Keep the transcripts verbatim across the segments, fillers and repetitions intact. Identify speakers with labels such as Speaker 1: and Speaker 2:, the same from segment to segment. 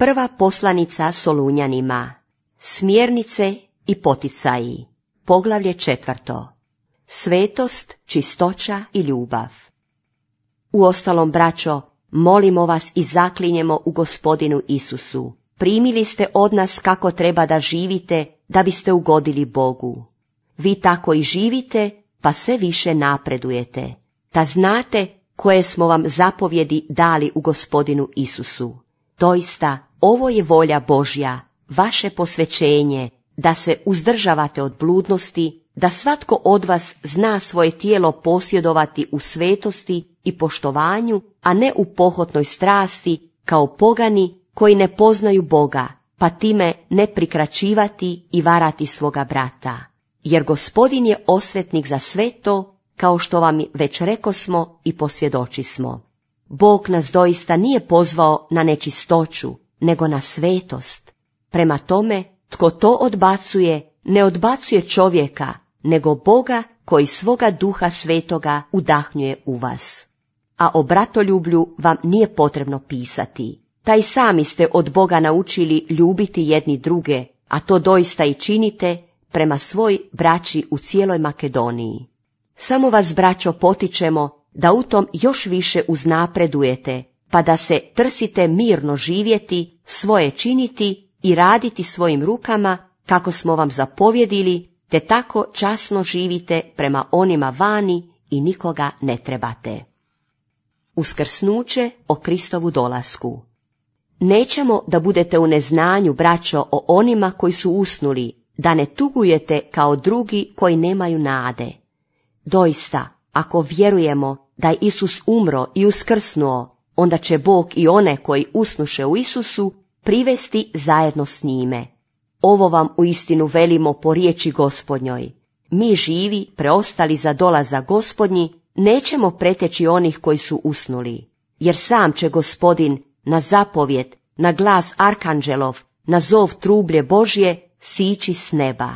Speaker 1: Prva poslanica Solunjanima. Smjernice i poticaji. Poglavlje četvrto. Svetost, čistoća i ljubav. Uostalom, braćo, molimo vas i zaklinjemo u Gospodinu Isusu. Primili ste od nas kako treba da živite, da biste ugodili Bogu. Vi tako i živite, pa sve više napredujete. Ta znate koje smo vam zapovjedi dali u Gospodinu Isusu. Doista, ovo je volja Božja, vaše posvećenje, da se uzdržavate od bludnosti, da svatko od vas zna svoje tijelo posjedovati u svetosti i poštovanju, a ne u pohotnoj strasti, kao pogani koji ne poznaju Boga, pa time ne prikraćivati i varati svoga brata. Jer Gospodin je osvetnik za sve to, kao što vam već rekosmo i posvjedočismo. Bog nas doista nije pozvao na nečistoću, nego na svetost. Prema tome, tko to odbacuje, ne odbacuje čovjeka, nego Boga koji svoga duha svetoga udahnjuje u vas. A o bratoljublju vam nije potrebno pisati. Taj sami ste od Boga naučili ljubiti jedni druge, a to doista i činite prema svoj braći u cijeloj Makedoniji. Samo vas, braćo, potičemo da u tom još više uznapredujete, pa da se trsite mirno živjeti, svoje činiti i raditi svojim rukama, kako smo vam zapovjedili, te tako časno živite prema onima vani i nikoga ne trebate. Uskrsnuće o Kristovu dolasku. Nećemo da budete u neznanju, braćo, o onima koji su usnuli, da ne tugujete kao drugi koji nemaju nade. Doista, ako vjerujemo da je Isus umro i uskrsnuo, onda će Bog i one koji usnuše u Isusu privesti zajedno s njime. Ovo vam uistinu velimo po riječi Gospodnjoj. Mi živi, preostali za dolazak Gospodnji, nećemo preteći onih koji su usnuli, jer sam će Gospodin na zapovjed, na glas arkanđelov, na zov trublje Božje sići s neba.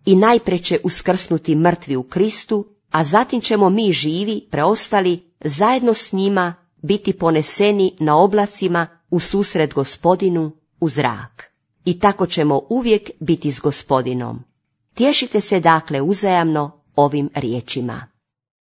Speaker 1: I najprije će uskrsnuti mrtvi u Kristu, a zatim ćemo mi živi, preostali, zajedno s njima biti poneseni na oblacima u susret Gospodinu u zrak. I tako ćemo uvijek biti s Gospodinom. Tješite se dakle uzajamno ovim riječima.